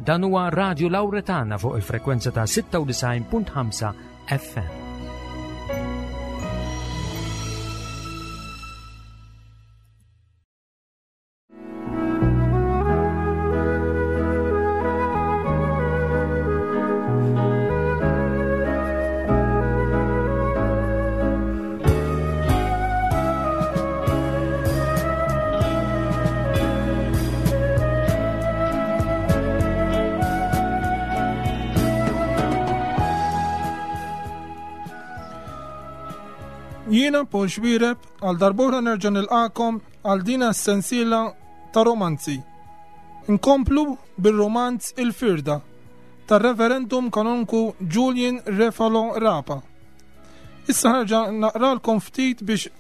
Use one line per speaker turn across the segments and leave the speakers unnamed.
Dan huwa Radio Lauretana fuq il-frekwenza ta' 96.5 FM.
Jiena Paul Xwireb għal darbora nerġa' nilqakom għal din s-sensiela ta' romanzi. Nkomplu bir-romanz Il-Firda tar-Reverendum Kanonku Julian Refalo Rapa. Issa ħarġa naqralkom ftit biex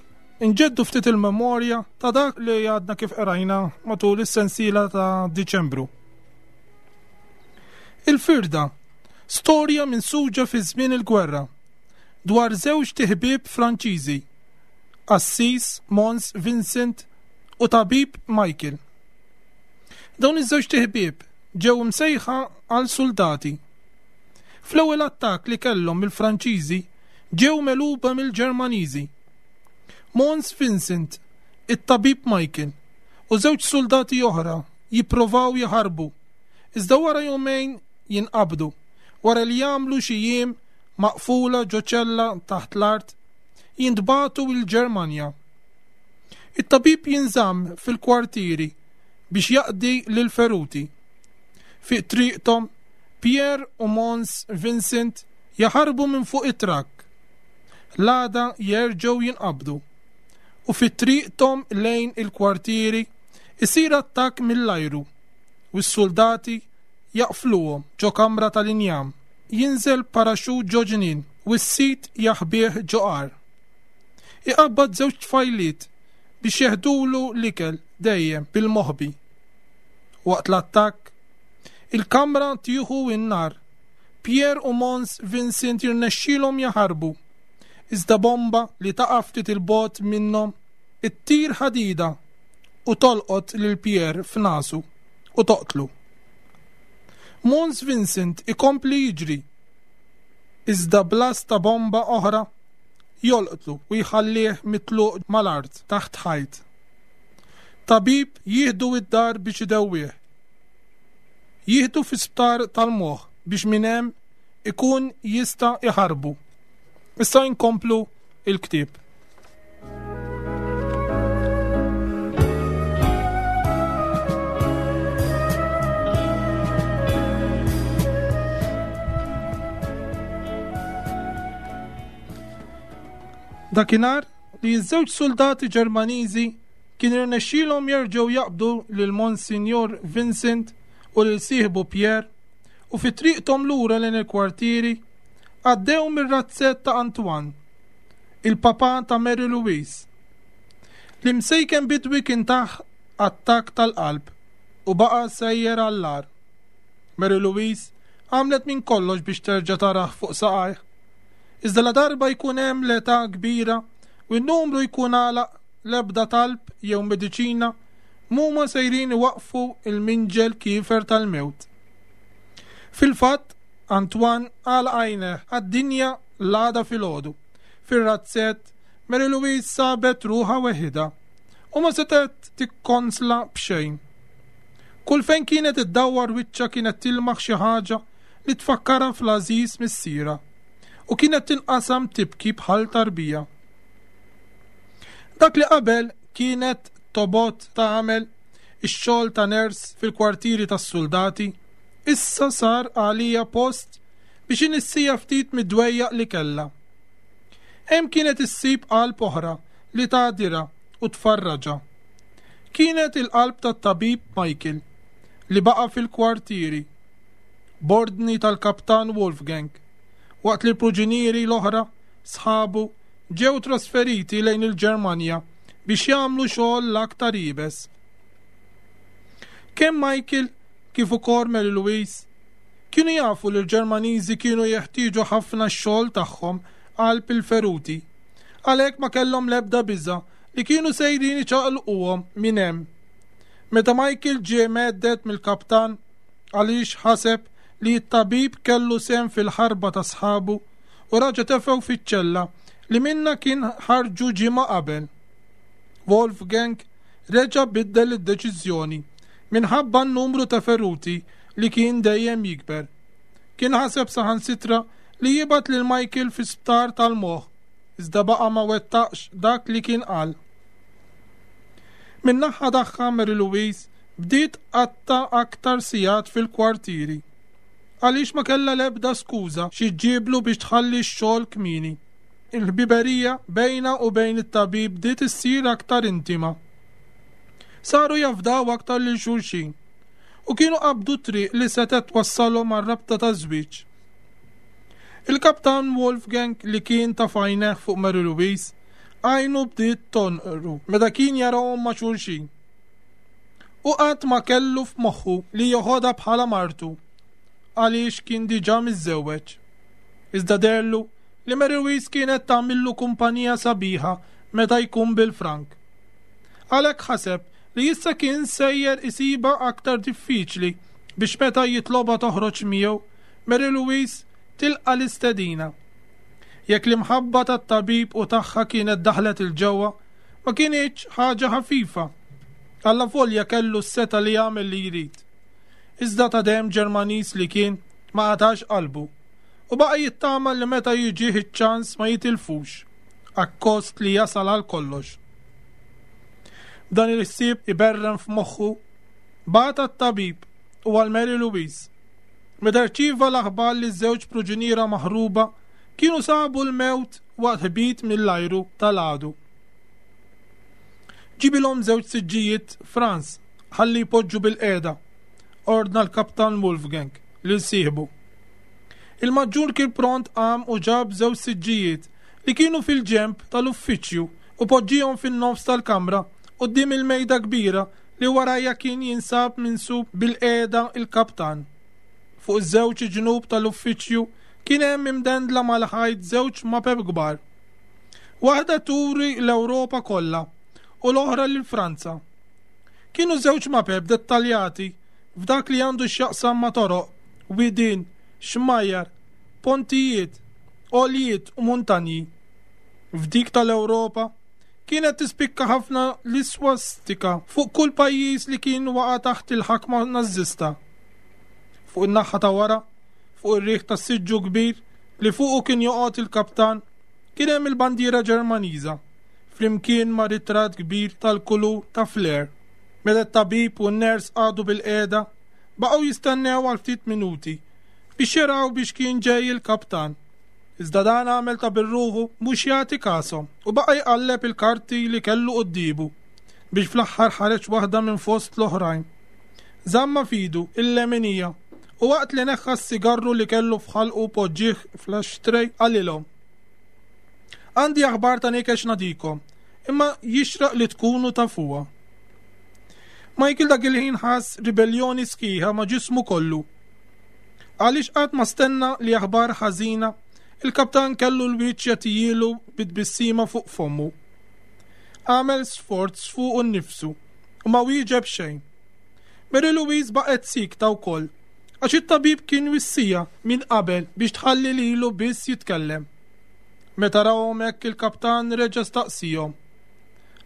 inġeddu ftit il-memorja ta' dak li għadna kif qrajna matul is-sensiela ta' Diċembru. Il-firda, storja minn suġa fi żmien il-gwerra, dwar żewġ tiħbib Franċiżi, Assis Mons Vincent u tabib Michael. Dawn iż-żewġ tiħbib ġew imsejħa għal suldati. Fl-ewwel attakk li kellhom mill-Franċiżi ġew megħluba mill-Ġermaniżi. Mons Vincent, it-tabib Michael u żewġ suldati oħra jipprovaw jaħarbu, iżda wara jumejn jinqabdu wara li jagħmlu xi jiem maqfula ġo ċella taħt l-art, jintbagħtu l-Ġermanja. It-tabib jinżamm fil-kwartieri biex jaqdi lill-feruti. Fi triqthom, Pierre u Mons Vincent jaħarbu minn fuq it-trakk. L-għada jerġgħu jinqabdu u fi triqthom lejn il-kwartieri isir attakk mill-ajru u s-suldati jaqfluhom ġo kamra tal-injam. Jinżel paraxut ġo ġnien u s-sid jaħbih ġo għar. Iqabbad żewġ tfajliet biex jeħdulu l-ikel dejjem bil-moħbi. Waqt l-attakk, il-kamra tieħu n-nar. Pierre u Mons Vincent jirnexxielhom jaħarbu. Iżda bomba li taqa' ftit il-bogħod minnhom ittir ħadida u tolqot lil Pierre f'nasu u toqtlu. Mons Vincent ikompli jiġri. Iżda blast ta' bomba oħra jolqtlu u jħallih mitluq mal-art taħt ħajt. Tabib jieħdu id-dar biex idewwih. Jieħdu fi sptar tal-moħħ biex minn hemm ikun jista' iħarbu. Issa inkomplu il-ktieb. Dakinhar li ż-żewġ suldati Ġermaniżi kien irnexxielhom jerġgħu jaqbdu lil Monsinjur Vincent u lil sieħbu Pierre u fi triqthom lura lejn il-kwartieri għaddew mir-razzett ta' Antoine, il-papà ta' Mary Louise. L-imsejken bidwi kien tah attakk tal-qalb u baqa' sejjer għall-agħar. Mary Louise għamlet minn kollox biex terġa' tarah fuq saqajh. Iżda ladarba jkun hemm l-età kbira u n-numru jkun għalaq l-ebda talb jew mediċina m'huma sejrin iwaqqfu l-minġel kiefer tal-mewt. Fil-fatt, Antoine għalaq għajnejh għad-dinja l-għada filgħodu. Fir-razzett, Mary Louise sabet ruħha weħidha u ma setgħet tikkonsla b'xejn. Kull fejn kienet iddawwar wiċċha kienet tilmaħ xi ħaġa li tfakkarha fl-għażiż missierha u kienet tinqasam tibki bħal tarbija. Dak li qabel kienet tobgħod tagħmel ix-xogħol ta' ners fil-kwartieri tas-suldati, issa sar għaliha post biex inissija ftit mid-dwejjaq li kellha. Hemm kienet issib qalb oħra li tagħdirha u tfarraġha. Kienet il-qalb tat-tabib Michael li baqa' fil-kwartieri b'ordni tal-Kaptan Wolfgang, waqt li l-pruġinieri l-oħra sħabu ġew trasferiti lejn il-Ġermanja biex jagħmlu xogħol l-aktar iebes. Kemm Michael kif ukoll Mary Louise kienu jafu li l-Ġermaniżi kienu jeħtieġu ħafna x-xogħol tagħhom qalb il-feruti. Għalhekk ma kellhom l-ebda biża' li kienu sejrin iċaqilquhom minn hemm. Meta Michael ġie mhedded mill-kaptan. Għaliex ħaseb li t-tabib kellu sehem fil-ħarba ta' sħabu u raġa' tefgħu fiċ-ċella li minnha kien ħarġu ġimgħa qabel. Wolfgang reġa' biddel id-deċiżjoni minħabba n-numru ta' feruti li kien dejjem jikber. Kien ħaseb saħansitra li jibgħat lil Michael fi sptar tal-moħħ, iżda baqa' ma wettaqx dak li kien qal. Min-naħa tagħha Mary Louise bdiet tqatta' aktar sigħat fil-kwartieri. Għaliex ma kellha l-ebda skuża xi ġġiblu biex tħalli x-xogħol kmieni. Il-ħbiberija bejnha u bejn it-tabib bdiet issir aktar intima. Saru jafdaw aktar lil xulxin u kienu qabdu triq li setgħet twassalhom għar-rabta taż-żwieġ. Il-Kaptan Wolfgang li kien ta' f'għajnejh fuq Mary Louise, għajnu bdiet tonqru meta kien jarahom ma' xulxin. Hu qatt ma kellu f'moħħu li joħodha bħala martu għaliex kien diġà miżżewweġ. Iżda deherlu li Mary Louise kienet tagħmillu kumpanija sabiħa meta jkun bil-frank. Għalhekk ħaseb li issa kien sejjer isibha aktar diffiċli biex meta jitlobha toħroġ miegħu, Mary Louise tilqa' l-istedina. Jekk l-imħabba tat-tabib u tagħha kienet daħlet 'il ġewwa, ma kinitx ħaġa ħafifa. Allavolja kellu s-setgħa li jagħmel li jrid. Iżda ta' demm Ġermaniż li kien, ma qatax qalbu u baqa' jittama li meta jiġih iċ-ċans ma jitilfux, akkost li jasal għal kollox. B'dan il-ħsieb iberren f'moħħu, bagħat għat-tabib u għal Mary Louise. Meta rċieva l-aħbar li ż-żewġ pruġuniera maħruba kienu sabu l-mewt waqt ħbit mill-ajru tal-għadu. Ġibilhom żewġ siġġijiet Franz ħalli jpoġġu bilqiegħda, ordna l-Kaptan Wolfgang lil sieħbu. Il-maġġur kien pront qam u ġab żewġ siġġijiet li kienu fil-ġenb tal-uffiċċju u poġġihom fin-nofs tal-kamra quddiem il-mejda kbira li warajha kien jinsab minsub bilqiegħda l-kaptan. Fuq iż-żewġ ġnub tal-uffiċċju kien hemm imdendla mal-ħajt żewġ mapep kbar. Waħda turi l-Ewropa kollha u l-oħra lil Franza. Kienu żewġ mapep dettaljati f'dak li għandu x'jaqsam ma' toroq, widien, xmajjar, pontijiet, għoljiet u muntanji. F'dik tal-Ewropa kienet tispikka ħafna l-iswastika fuq kull pajjiż li kien waqa' taħt il-ħakma Nażista. Fuq in-naħa ta' wara, fuq ir-riħ tas-siġġu kbir li fuqu kien joqgħod il-kaptan, kien hemm il-bandiera Ġermaniża, flimkien ma' ritratt kbir tal-kulur ta' flare. Meta t-tabib u n-ners qagħdu bilqiegħda, baqgħu jistennew għal ftit minuti biex jaraw biex kien ġej il-kaptan. Iżda dan għamel ta' bir-ruħu mhux jagħti kashom u baqa' jqalleb il-karti li kellu quddiemu biex fl-aħħar ħareġ waħda minn fost l-oħrajn. Żammha f'idu il-leminija u waqt li neħħa s-sigarru li kellu f'ħalqu poġġieh fl-ashtray qalilhom, Għandi aħbar ta' nikex nagħtikom, imma jixraq li tkunu tafuha. Michael dak il-ħin ħass ribelljoni sħiħa ma' ġismu kollu. Għaliex qatt ma stenna li aħbar ħażina, il-kaptan kellu l-wiċċ jagħtijielu bi tbissima fuq fommu. Għamel sforz fuqu nnifsu u ma wieġeb xejn. Mary Louise baqgħet siekta wkoll, għax it-tabib kien wissiha minn qabel biex tħalli lilu biss jitkellem. Meta rahom hekk il-kaptan reġa' staqsiehom,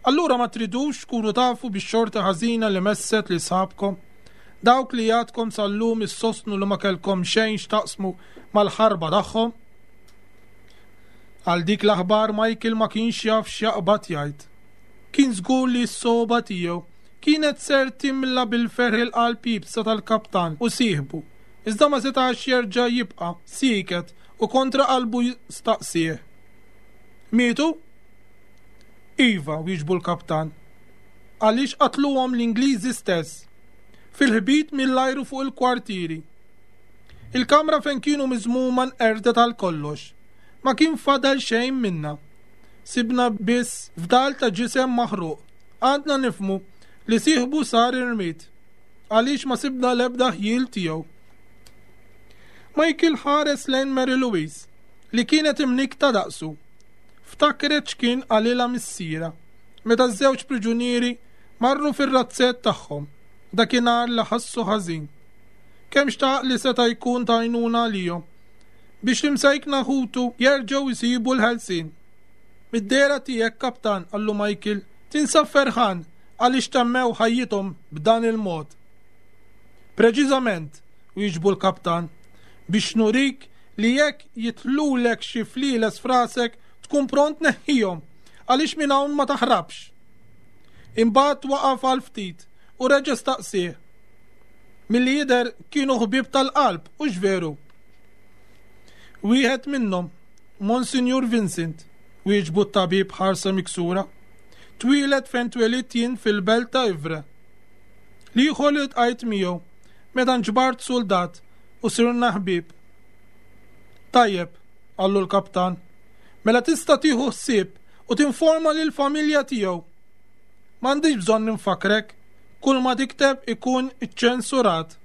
Allura ma tridux tkunu tafu bix-xorti ħażina li messet lil sħabkom? Dawk li għadkom sal-lum issostnu li ma kellkom xejn x'taqsmu mal-ħarba tagħhom? Għal dik l-aħbar Michael ma kienx jaf x'jaqbad jgħid. Kien żgur li s-sogħba tiegħu kienet ser timla bil-ferħ il-qalb iebsa tal-kaptan u sieħbu, iżda ma setax jerġa' jibqa' sieket u kontra qalbu staqsieh. Mietu? Iva, wieġbu l-kaptan. Għaliex qatluhom l-Ingliżi stess, fil-ħbit mill-ajru fuq il-kwartieri. Il-kamra fejn kienu miżmuma nqerdet għal kollox. Ma kien fadal xejn minnha. Sibna biss fdal ta' ġisem maħruq. Għadna nifhmu li sieħbu sar irmied, għaliex ma sibna l-ebda ħjiel tiegħu. Michael ħares lejn Mary Louise, li kienet imnikkta daqsu. Ftakret x'kien qalilha missierha meta ż-żewġ priġunieri marru fir-razzett tagħhom dakinhar li ħassu ħażin. Kemm xtaq li seta' jkun ta' għajnuna għalihom biex l-imsejkna ħutu jerġgħu jsibu l-ħelsien. Mid-dehra tiegħek, Kaptan, qallu Michael, tinsab ferħan għaliex temmew ħajjithom b'dan il-mod. Preċiżament, wieġbu l-Kaptan, biex nurik li jekk jidħlulek xi flieles f'rasek tkun pront tneħħihom għaliex minn hawn ma taħrabx. Imbagħad waqaf għal ftit u reġa' staqsieh. Milli jidher kienu ħbieb tal-qalb, hux veru? Wieħed minnhom, Monsinjur Vincent, wieġbu t-tabib b'ħarsa miksura, twieled fejn twelidt jien fil-belt ta' Ivre. L-ieħor li ltqajt miegħu meta nġbart suldat u sirna ħbieb. Tajjeb, qallu l-kaptan, mela tista' tieħu ħsieb u tinforma lill-familja tiegħu. M'għandix bżonn infakkrek, kull ma tikteb ikun iċċensurat.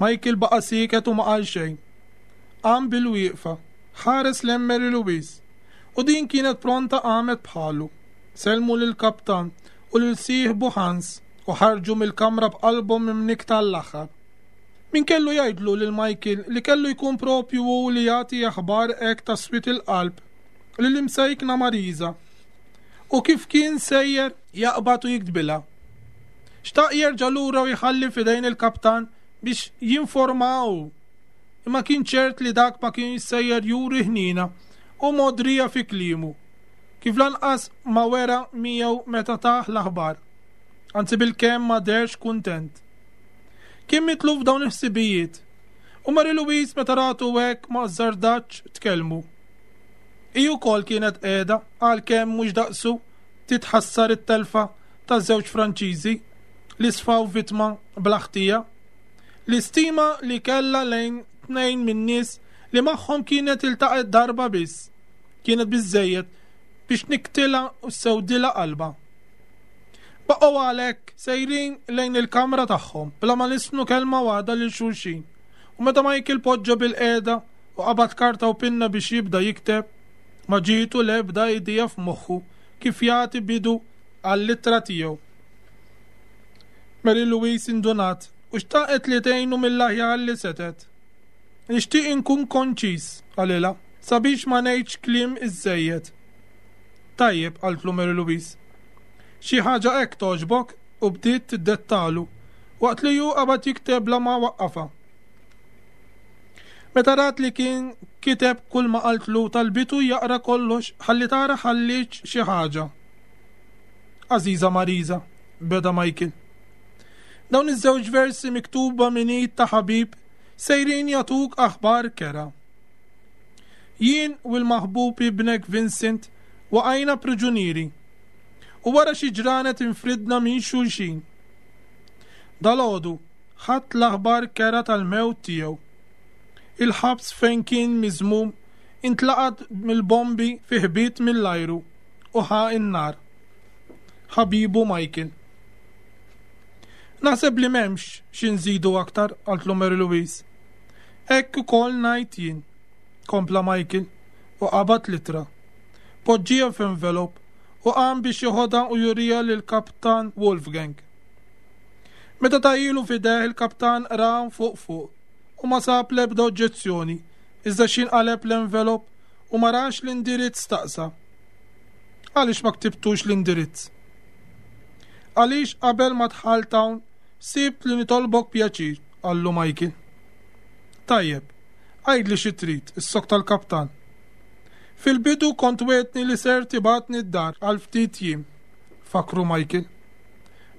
Michael baqa' sieket u ma qal xejn. Qam bil-wieqfa, ħares lejn Mary Louise, u din kienet pronta qamet bħalu. Sellmu lill-kaptan u lil sieħbu Hans u ħarġu mill-kamra b'qalbhom imnikkta għall-aħħar. Min kellu jgħidlu lil Michael li kellu jkun proprju hu li jagħti aħbar hekk ta' swied il-qalb lill-imsejkna Marisa u kif kien sejjer jaqbad u jiktbilha. Xtaq jerġa' lura u jħalli f'idejn il-kaptan biex jinformaha hu, imma kien ċert li dak ma kienx sejjer juri ħniena u mogħdrija fi kliemu, kif lanqas ma wera miegħu meta tah l-aħbar. Anzi bilkemm ma deherx kuntent. Kien mitluf f'dawn il-ħsibijiet, u Mary Louise meta ratu hekk ma azzardatx tkellmu. Hi wkoll kienet qiegħda, għalkemm mhux daqsu, titħassar it-telfa ta' żewġ Franċiżi li sfaw vittma bla ħtija. L-istima li kellha lejn tnejn min-nies li magħhom kienet iltaqgħet darba biss, kienet biżżejjed biex tnikktilha u ssewdilha qalbha. Baqgħu għalhekk sejrin lejn il-kamra tagħhom bla ma lissnu kelma waħda lil xulxin u meta Michael poġġa bilqiegħda u qabad karta u pinna biex jibda jikteb, ma ġietu l-ebda idea f'moħħu kif jagħti bidu għall-ittra tiegħu. Mary Louise indunat u xtaqet li tgħinu mill-aħjar li setgħet. Nixtieq inkun konċiż, qalilha, sabiex ma ngħidx kliem iżżejjed. Tajjeb, qaltlu Mary Louise. Xi ħaġa hekk togħġbok? U bdiet tiddettalu, waqt li hu qabad jikteb bla ma waqqafha. Meta rat li kien kiteb kull ma qaltlu talbitu jaqra kollox ħalli tara ħallietx xi ħaġa. Għażiża Marisa, beda Michael. Dawn iż-żewġ versi miktuba minn id ta' ħabib sejrin jagħtuk aħbar kerha. Jien u l-maħbub ibnek Vincent waqajna priġunieri u wara xi ġranet infridna minn xulxin. Dalgħodu ħadt l-aħbar kerha tal-mewt tiegħu. Il-ħabs fejn kien miżmum intlaqat mill-bombi fi ħbit mill-ajru u ħa n-nar. Ħabibu Michael. Naħseb li m'hemmx xi nżidu aktar, qaltlu Mary Louise. Hekk ukoll ngħid jien, kompla Michael u qabad l-ittra. Poġġieha f'envelop u qam biex jeħodha u juriha lill-Kaptan Wolfgang. Meta tahielu f'idejh il-kaptan qraha fuq fuq u ma sab l-ebda oġġezzjoni, iżda x'ħin qaleb l-envelop u ma rax l-indirizz staqsa. Għaliex ma ktibtux l-indirizz? Għaliex qabel ma dħalt hawn sibt li nitolbok pjaċir, qallu Michael. Tajjeb, għidli xi trid, issokta l-kaptan. Fil-bidu kont wegħdtni li ser tibgħatni d-dar għal ftit jiem, fakkru Michael.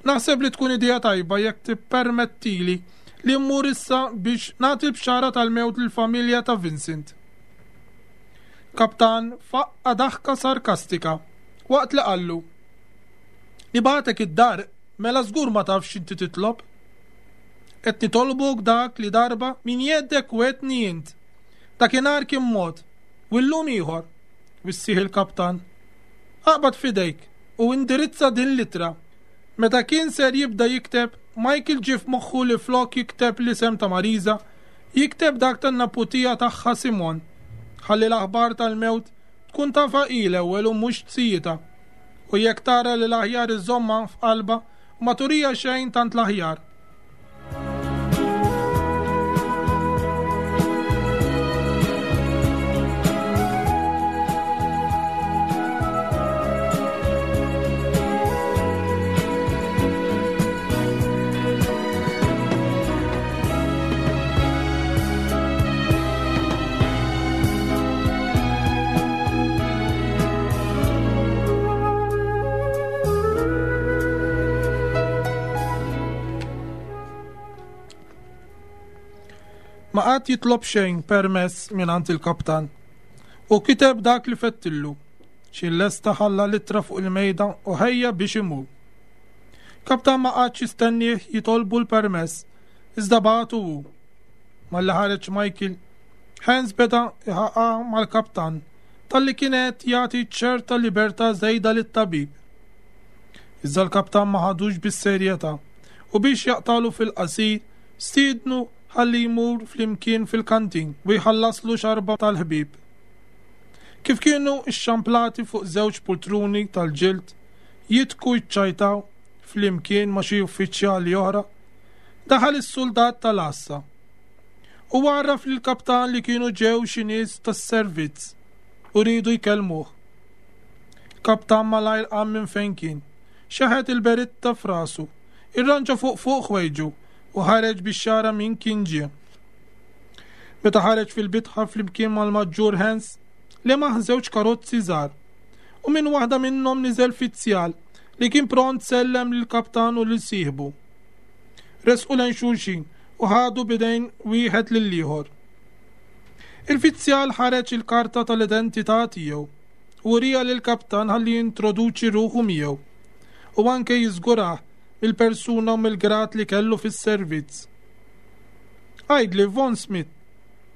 Naħseb li tkun idea tajba jekk tippermettili li mmur issa biex nagħti l-bxara tal-mewt lill-familja ta' Vincent. Kaptan faqqa' daħka sarkastika waqt li qallu, Nibgħatek id-dar mela żgur ma tafx x'inti titlob. Qed nitolbok dak li darba min jeddek wegħdtni int. Dakinhar kien mod, u llum ieħor, wissieh il-kaptan. Aqbad f'idejk u indirizza din l-ittra. Meta kien ser jibda jikteb, Michael ġie f'moħħu li flok jikteb l-isem ta' Marisa, jikteb dak tan-naputija tagħha Simone, ħalli l-aħbar tal-mewt tkun tafha hi l-ewwel u mhux sijitha. U jekk tara li l-aħjar iżżommha f'qalbha u ma turiha xejn tant l-aħjar. Ma qagħad jitlob xejn permess mingħand il-kaptan u kiteb dak li fettillu. Xi lesta ħalla l-ittra fuq il-mejda u ħejja biex imur. Kaptan ma qagħadx jistennieh jitolbu l-permess, iżda bagħtu hu. Malli ħareġ Michael, Hans beda iħaqqa mal-kaptan talli kien qed jagħti ċerta libertà żejda lit-tabib. Iżda l-kaptan ma ħadux bis-serjetà u biex jaqtagħlu fil-qasir stiednu ħalli jmur flimkien fil-kantin u jħallaslu xarba tal-ħbieb. Kif kienu xxamplati fuq żewġ pultruni tal-ġild jidhku jċċajtaw flimkien ma' xi uffiċjali oħra, daħal is-suldat tal-għassa u għarraf lill-kaptan li kienu ġew xi nies tas-servizz u riedu jkellmuh. Kaptan malajr qam minn fejn kien, xeħet il-beritta f'rasu, irranġa fuq fuq ħwejġu u ħareġ biex jara min kien ġie. Meta ħareġ fil-bitħa flimkien mal-Maġġur Hans, lemaħ żewġ karozzi żgħar u minn waħda minnhom niżel fizzjal li kien pront sellem lill-kaptan u lil sieħbu. Resqu lejn xulxin u ħadu b'idejn wieħed lill-ieħor. Il-fizzjal ħareġ il-karta tal-identità tiegħu u wriha lill-kaptan ħalli jintroduċi ruħu miegħu u anke jiżgurah mill-persuna u mill-grad li kellu fis-servizz. Għidli, Von Smith,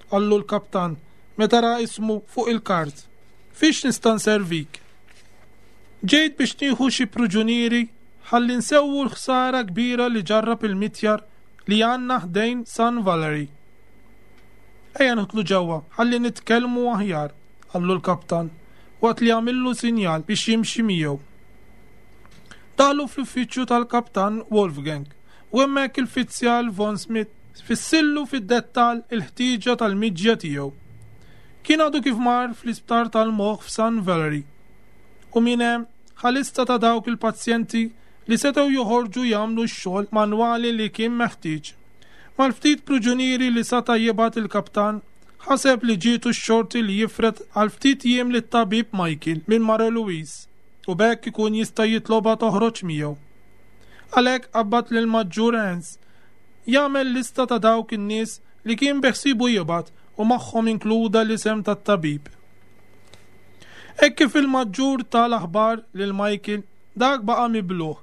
qallu l-kaptan meta ra ismu fuq il-kard, fiex nista' nservik? Ġejt biex nieħu xi pruġunieri ħalli nsewwu l-ħsara kbira li ġarrab il-mitjar li għandna ħdejn San Valery. Ejja nidħlu ġewwa ħalli nitkellmu aħjar, qallu l-kaptan, waqt li għamillu sinjal biex jimxi miegħu. Daħlu fl-uffiċċju tal-kaptan Wolfgang u hemmhekk il-fizzjal Von Smith fissillu fid-dettall il-ħtieġa tal-miġja tiegħu. Kien għadu kif mar fl-isptar tal-moħħ f'San Valery u minn hemm ħa lista ta' dawk il-pazjenti li setgħu joħorġu jagħmlu x-xogħol manwali li kien meħtieġ. Mal-ftit pruġunieri li sata' jibgħat il-kaptan, ħaseb li ġietu x-xorti li jifred għal ftit jiem lit-tabib Michael minn Mare Louise u b'hekk ikun jista' jitlobha toħroġ miegħu. Għalhekk qabbad lill-Maġġur Hans jagħmel lista ta' dawk in-nies li kien beħsiebu jibgħat u magħhom inkluda l-isem tat-tabib. Hekk kif il-Maġġur ta l-aħbar lil Michael, dak baqa' mibluh.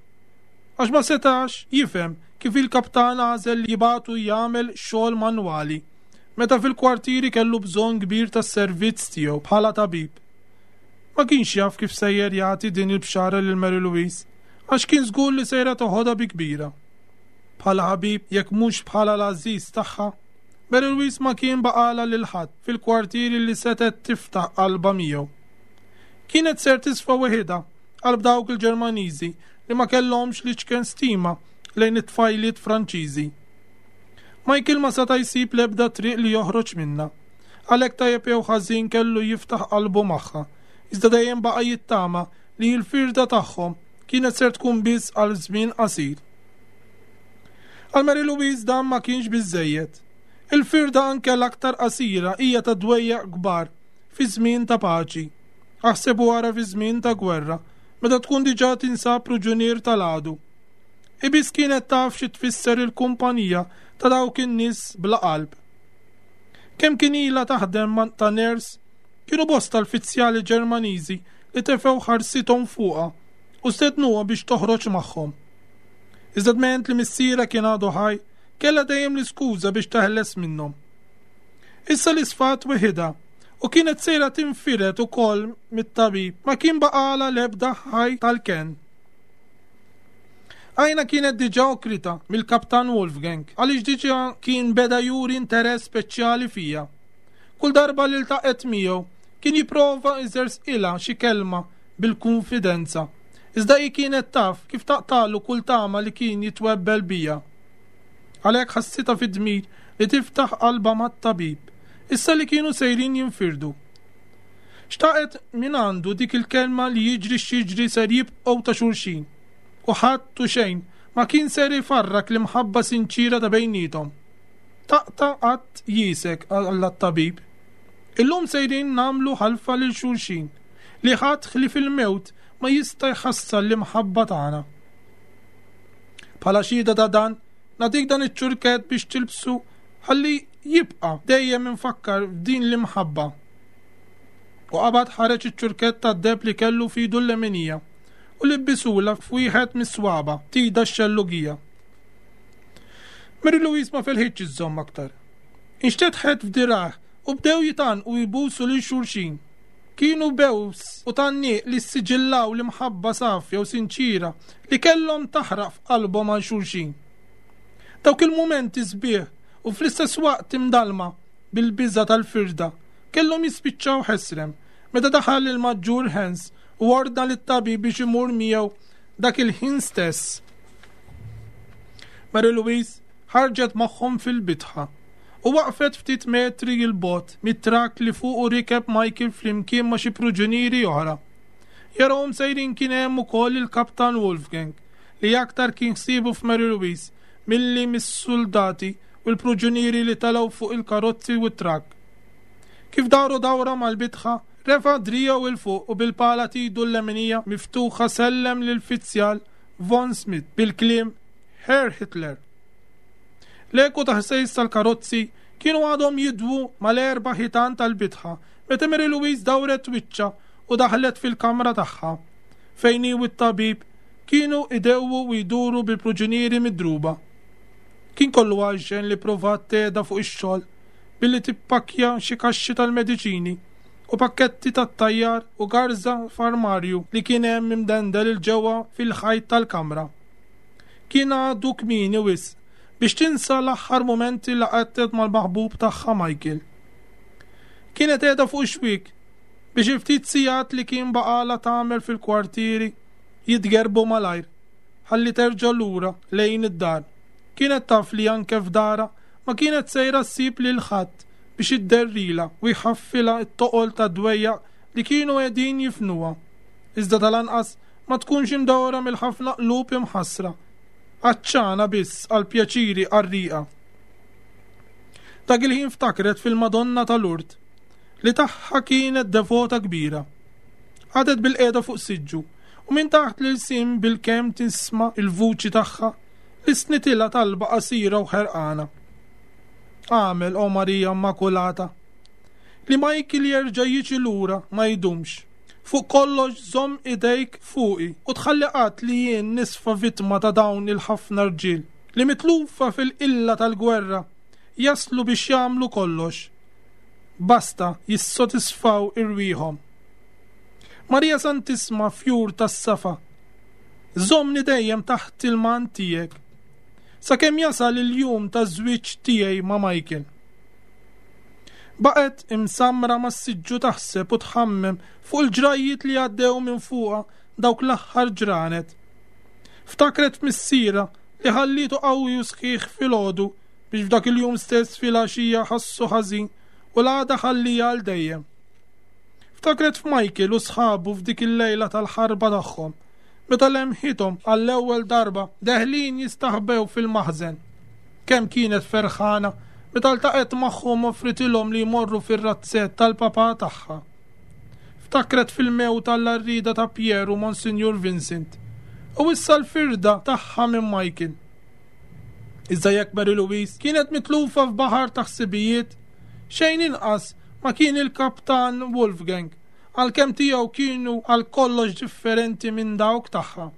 Għax ma setax jifhem kif il-kaptan għażel li jibagħtu jagħmel xogħol manwali, meta fil-kwartieri kellu bżonn kbir tas-servizz tiegħu bħala tabib. Ma kienx jaf kif sejjer jagħti din il-bxara lil Mary Louise, għax kien żgur li sejra toħodha bi kbira. Bħala ħabib, jekk mhux bħala l-għażiż tagħha, Mary Louise ma kien baqgħalha lil ħadd fil-kwartieri li setgħet tiftaħ qalbha miegħu. Kienet ser tisfa weħidha qalb dawk il-Ġermaniżi li ma kellhomx l-iċken stima lejn it-tfajliet Franċiżi. Michael ma seta' jsib l-ebda triq li joħroġ minnha. Għalhekk tajjeb jew ħażin kellu jiftaħ qalbu magħha, iżda dejjem baqa' jittama li l-firda tagħhom kienet ser tkun biss għal żmien qasir. Għal Mary Louise dan ma kienx biżżejjed. Il-firda anke l-aktar qasira hija ta' dwejjaq kbar fi żmien ta' paċi. Aħseb u ara fi żmien ta' gwerra, meta tkun diġà tinsab pruġunier tal-għadu. Hi biss kienet taf xi tfisser il-kumpanija ta' dawk in-nies bla qalb. Kemm kien ilha taħdem ta' nurse, kienu bosta l-fizzjali Ġermaniżi li tefgħu ħarsithom fuqha u stednuha biex toħroġ magħhom. Iżda dment li missierha kien għadu ħaj, kellha dejjem l-iskuża biex teħles minnhom. Issa li sfat weħidha u kienet sejra tinfired ukoll mit-tabib, ma kien baqgħalha l-ebda ħaj tal-kenn. Għajna kienet diġà okrita mill-Kaptan Wolfgang għaliex diġà kien beda juri interess speċjali fija. Kull darba li ltaqgħet miegħu kien jipprova jżersqilha xi kelma bil-kunfidenza. Iżda hi kienet taf kif taqtagħlu kull tama li kien jitwebbel biha. Għalhekk ħassitha fid-dmir li tiftaħ qalbha mat-tabib, issa li kienu sejrin jinfirdu. Xtaqet mingħandu dik il-kelma li jiġri x'jiġri ser jibqgħu ta' xulxin, u ħadd u xejn ma kien ser ifarrak l-imħabba sinċiera ta' bejniethom. Taqta' qatt jiesek, qallha t-tabib. Illum sejrin nagħmlu ħalfa lil xulxin, li ħadd ħlief il-mewt ma jista' jħassar l-imħabba tagħna. Bħala xhieda ta' dan, nagħtik dan iċ-ċurkett biex tilbsu Ħalli jibqa' dejjem imfakkar f'din l-imħabba. U qabad ħareġ iċ-ċurkett tad-deheb li kellu f'idu l-leminija u libbisulha f'wieħed mis-swaba' t'idha x-xellugija. Mary Louise ma felħitx iżżomm aktar. Inxtetħet f'dirgħajh u bdew jitgħannqu u jbusu lil xulxin. Kienu bews u tgħanniq li ssiġillaw l-imħabba safja u sinċiera li kellhom taħraq f'qalbhom għal xulxin. Dawk il-mumenti sbieħ u fl-istess waqt imdallma bil-biża' tal-firda kellhom jispiċċaw ħesrem meta daħal il-Maġġur Hans u ordna lit-tabib biex imur miegħu dak il-ħin stess. Mary Louise ħarġet magħhom fil-bitħa u waqfet ftit metri 'l bogħod mit-trakk li fuqu rikeb Michael flimkien ma' xi pruġunieri oħra. Jarahom sejrin kien hemm ukoll il-Kaptan Wolfgang li aktar kien ħsiebu f'Mary Louise milli mis-suldati u l-pruġunieri li telgħu fuq il-karozzi u t-trakk. Kif daru dawra mal-bitħa, refa' driegħu 'l fuq u bil-pala t'idu l-leminija miftuħa sellem lill-fizzjal Von Schmidt bil-kliem Herr Hitler. L-eku ta' ħsejs tal-karozzi kienu għadhom jidwu mal-erba' ħitan tal-bitħa meta Mary Louise dawret wiċċha u daħlet fil-kamra tagħha, fejn hi u t-tabib kienu idewwu u jduru bil-pruġunieri midruba. Kien kollu għaxxen li pprovat tgħeda fuq ix-xogħol billi tippakkja xi kaxxi tal-mediċini u pakketti tat-tajjar u garża f'armarju li kien hemm imdendel 'il ġewwa fil-ħajt tal-kamra. Kien għadu kmieni wisq biex tinsa l-aħħar mumenti li qattet mal-maħbub tagħha Michael. Kienet qiegħda fuq ix-xwiek biex il-ftit sigħat li kien baqgħalha tagħmel fil-kwartieri jitgerrbu malajr ħalli terġa' lura lejn id-dar. Kienet taf li anke f'darha ma kienet sejra ssib lil ħadd biex idderrilha u jħaffilha t-toqol tad-dwejjaq li kienu qegħdin jifnuha. Iżda tal-anqas ma tkunx imdawra mill-ħafna qlub imħassra, għatxana biss għal pjaċiri qarrieqa. Dak il-ħin ftakret fil-Madonna ta' Lourdes, li tagħha kienet devota kbira. Qagħdet bilqiegħda fuq siġġu u minn taħt l-ilsien bilkemm tisma' l-vuċi tagħha li snitilha talba qasira u ħerqana. Agħmel, O Marija Immakulata, li Michael jerġa' jiġi lura ma jdumx. Fuq kollox żomm idejk fuqi u tħalli qatt li jien nisfa vittma ta' dawn il-ħafna rġiel li mitlufa fil-qilla tal-gwerra jaslu biex jagħmlu kollox basta jissodisfaw irwieħhom. Marija Santissma fjur tas-safa, żommni dejjem taħt il-mant tiegħek sakemm jasal il-jum taż-żwieġ tiegħi ma' Michael. Baqgħet imsammra mas-siġġu taħseb u tħammem fuq il-ġrajjiet li għaddew minn fuqha dawk l-aħħar ġranet. Ftakret f'missierha li ħallietu qawwi u sħiħ filgħodu biex f'dak il-jum stess filgħaxija ħassu ħażin u l-għada ħalliha għal dejjem. Ftakret f'Michael u sħabu f'dik il-lejla tal-ħarba tagħhom meta lemħithom għall-ewwel darba deħlin jistaħbew fil-maħżen. Kemm kienet ferħana meta ltaqgħet magħhom offritilhom li jmorru fir-razzett tal-papà tagħha. Ftakret fil-mewt għall-għarrieda ta' Pierre u Monsinjur Vincent, u issa l-firda tagħha minn Michael. Iżda jekk Mary Louise kienet mitlufa f'baħar ta' ħsibijiet, xejn inqas ma kien il-Kaptan Wolfgang, għalkemm tiegħu kienu għal kollox differenti minn dawk tagħha.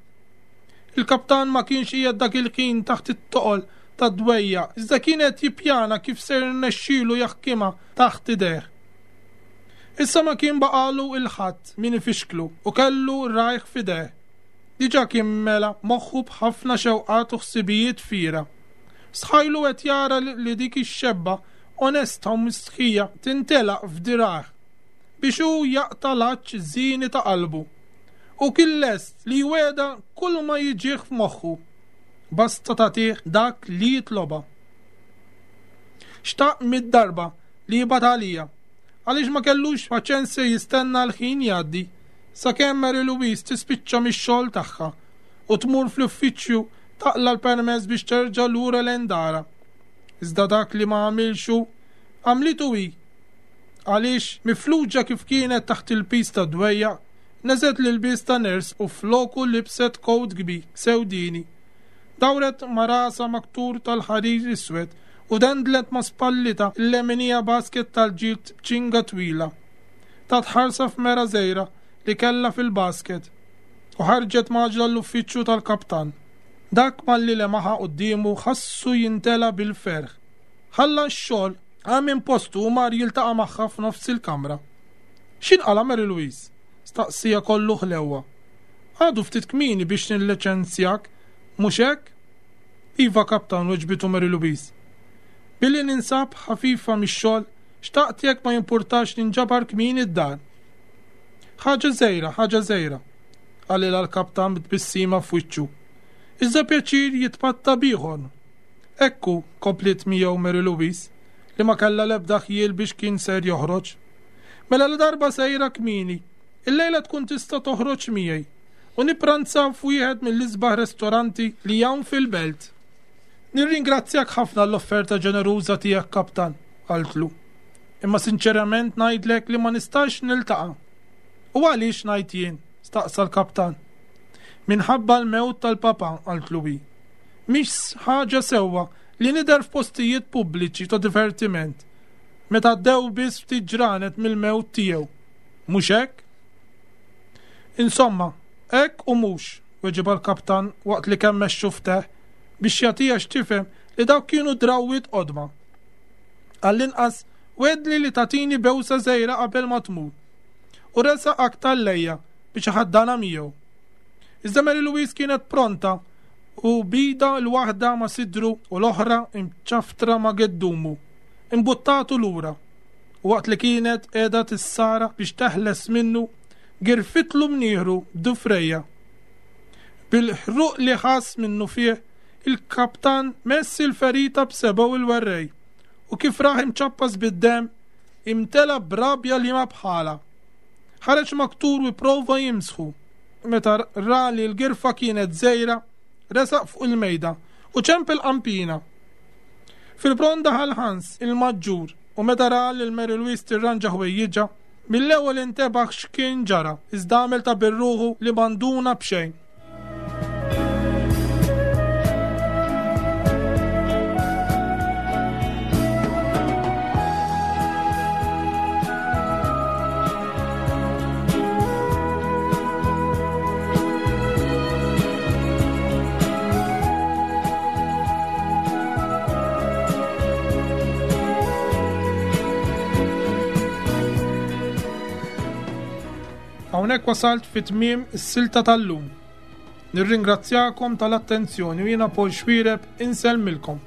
Il-kaptan ma kienx qiegħed dak il-ħin taħt it-toqol tad-dwejjaq, iżda kien qed jippjana kif se jirnexxilu jaħkimha taħt idejh. Issa ma kien baqagħlu 'l ħadd min ifixklu u kellu rajh f'idejh. Diġà kien mela moħħu b'ħafna xewqat u ħsibijiet fiergħa. Stħajlu qed jara li dik ix-xebba onesta u mistħija tintelaq f'dirgħajh biex hu jaqta' l-għatx żieni ta' qalbu. Hu kien lest li jwegħda kulma jiġih f'moħħu, basta tagħtih dak li jitlobha. Xtaq mid-darba li jibgħat għalija, għaliex ma kellux paċenzja jistenna l-ħin jgħaddi sakemm Mary Louise tispiċċa mix-xogħol tagħha u tmur fl-uffiċċju taqla' l-permess biex terġa' lura lejn darha. Iżda dak li ma għamilx hu, għamlitu hi. Għaliex, mifluġa kif kienet taħt il-piż tad-dwejjaq, Neżgħet l-ilbies ta' nurse u floku libset kowt kbir, sewdieni. Dawret ma' rasha maktur tal-ħarir iswed u dendlet ma' spallitha l-leminija basket tal-ġild b'ċinga twila. Tat ħarsa f'mera żgħira li kellha fil-basket u ħarġet mgħaġġla l-uffiċċju tal-kaptan. Dak malli lemaħha quddiemu ħassu jintela' bil-ferħ. Ħalla x-xogħol, qam minn postu u mar jiltaqa' magħha f'nofs il-kamra. X'inqala' Mary Louise? staqsieha kollu ħlewwa. Għadu ftit kmieni biex nilliċenzjak, mhux hekk? Iva, Kaptan, weġbitu Mary Louise. Billi ninsab ħafifa mix-xogħol, xtaqt jekk ma jimpurtax ninġabar kmieni d-dar. Ħaġa żgħira, ħaġa żgħira, qalilha l-kaptan b'tbissima f'wiċċu. Iżda pjaċir jitpatta b'ieħor. Hekk hu, kompliet miegħu Mary Louise, li ma kellha l-ebda ħjiel biex kien ser joħroġ. Mela ladarba sejra kmieni, illejla tkun tista' toħroġ miegħi u nippranzaw f'wieħed mill-isbaħ restoranti li hawn fil-belt. Nirringrazzjak ħafna għall-offerta ġeneruża tiegħek, Kaptan, qaltlu. Imma sinċerament ngħidlek li ma nistax niltaqa'. U għaliex ngħid jien? staqsa l-kaptan. Minħabba l-mewt tal-papa, qaltlu hi. Mhix ħaġa sewwa li nidher f'postijiet pubbliċi ta' divertiment meta għaddew biss ftit ġranet mill-mewt tiegħu. Mhux hekk? Insomma, hekk u mhux, weġibha l-kaptan waqt li kemmex xufftejh biex jagħtiha x'tifhem li dawk kienu drawwiet qodma. Għall-inqas wegħdni li tagħtini bewsa żgħira qabel ma tmur. U resaq aktar lejha biex iħaddanha miegħu. Iżda Mary Louise kienet pronta u b'idha l-waħda ma' sidru u l-oħra mċafftra ma' geddumu, imbuttatu lura u waqt li kienet qiegħda tissara biex teħles minnu, girfitlu mnieħru b'dufrejha. Bil-ħruq li ħass minnufih, il-kaptan mess il-ferita b'sebgħu il-werrej u kif rah imċappas bid-demm, imtela b'rabja liema bħalha. Ħareġ maktur u pprova jimsħu. Meta ra li l-girfa kienet żgħira, resaq fuq il-mejda u ċempel qampina. Fil-pront daħal Hans, il-maġġur, u meta ra lil Mary Louise tirranġa ħwejjiġha, mill-ewwel intebaħ x'kien ġara, iżda għamel ta' bir-ruħu li ma nduna b'xejn. Hawnhekk wasalt fi tmiem is-silta tal-lum. Nirringrazzjakom tal-attenzjoni u jiena Paul Xuereb insellmilkom.